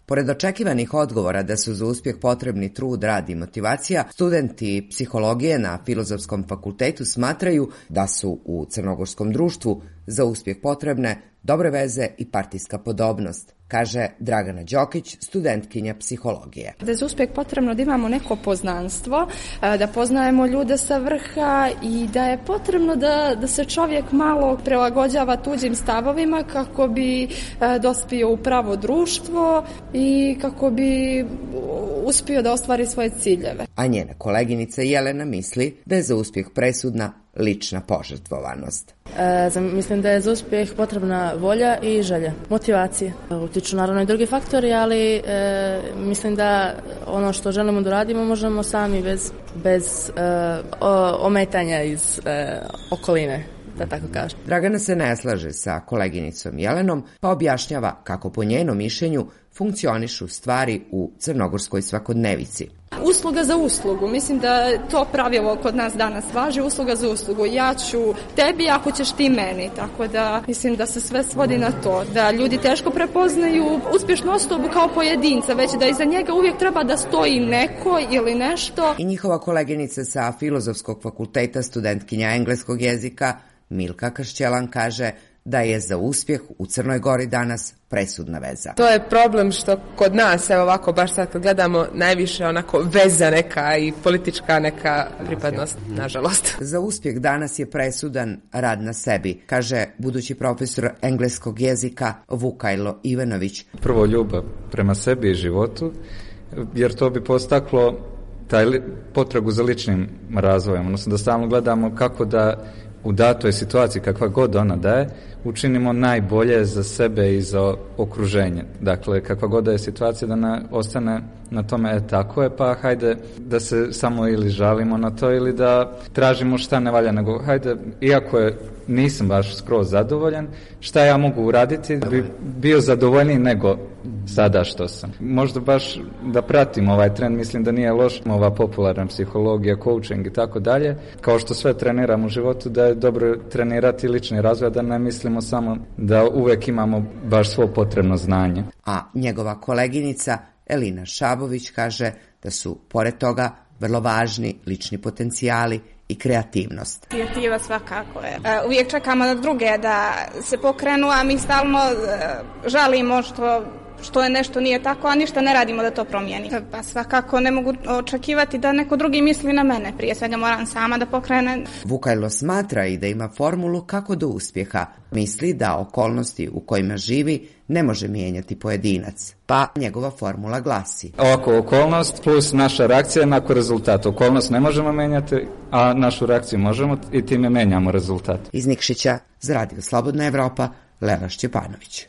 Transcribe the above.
Pored očekivanih odgovora da su za uspjeh potrebni trud, rad i motivacija, studenti psihologije na Filozofskom fakultetu smatraju da su u crnogorskom društvu za uspjeh potrebne dobre veze i partijska podobnost, kaže Dragana Đokić, studentkinja psihologije. Da je za uspjeh potrebno da imamo neko poznanstvo, da poznajemo ljude sa vrha i da je potrebno da se čovjek malo prilagođava tuđim stavovima kako bi dospio u pravo društvo i kako bi uspio da ostvari svoje ciljeve. A njena koleginica Jelena misli da je za uspjeh presudna lična požrtvovanost. Mislim da je za uspjeh potrebna volja i želja, motivacija. Utiču naravno i drugi faktori, ali mislim da ono što želimo da radimo možemo sami bez ometanja iz okoline, da tako kažem. Dragana se ne slaže sa koleginicom Jelenom, pa objašnjava kako po njenom mišljenju funkcionišu stvari u crnogorskoj svakodnevici. Usluga za uslugu, mislim da to pravilo kod nas danas važi, usluga za uslugu. Ja ću tebi ako ćeš ti meni, tako da mislim da se sve svodi na to, da ljudi teško prepoznaju uspješnu osobu kao pojedinca, već da iza njega uvijek treba da stoji neko ili nešto. I njihova koleginica sa Filozofskog fakulteta, studentkinja engleskog jezika, Milka Kršćelan, kaže da je za uspjeh u Crnoj Gori danas presudna veza. To je problem što kod nas, evo ovako, baš sad kad gledamo, najviše onako veza neka i politička neka pripadnost, nažalost. Za uspjeh danas je presudan rad na sebi, kaže budući profesor engleskog jezika Vukajlo Ivanović. Prvo ljubav prema sebi i životu, jer to bi postaklo taj potragu za ličnim razvojem, odnosno da stalno gledamo kako da u datoj situaciji, kakva god ona da je, učinimo najbolje za sebe i za okruženje. Dakle, kakva god da je situacija, da ostane na tome, tako je, pa hajde da se samo ili žalimo na to ili da tražimo šta ne valja, nego hajde, iako nisam baš skroz zadovoljan, šta ja mogu uraditi da bi bio zadovoljniji nego sada što sam. Možda baš da pratim ovaj trend, mislim da nije loš ova popularna psihologija, coaching i tako dalje, kao što sve treniram u životu, da je dobro trenirati lični razvoj, da ne mislimo samo da uvek imamo baš svo potrebno znanje. A njegova koleginica Elina Šabović kaže da su, pored toga, vrlo važni lični potencijali i kreativnost. Inicijativa svakako je. Uvijek čekamo na druge da se pokrenu, a mi stalno žalimo što je nešto nije tako, a ništa ne radimo da to promijeni. Pa svakako ne mogu očekivati da neko drugi misli na mene. Prije svega moram sama da pokrenem. Vukajlo smatra i da ima formulu kako do uspjeha. Misli da okolnosti u kojima živi ne može mijenjati pojedinac. Pa njegova formula glasi: ovako, okolnost plus naša reakcija nakon rezultata. Okolnost ne možemo mijenjati, a našu reakciju možemo i time menjamo rezultat. Iz Nikšića za Radio Slobodna Evropa, Leva Šćepanović.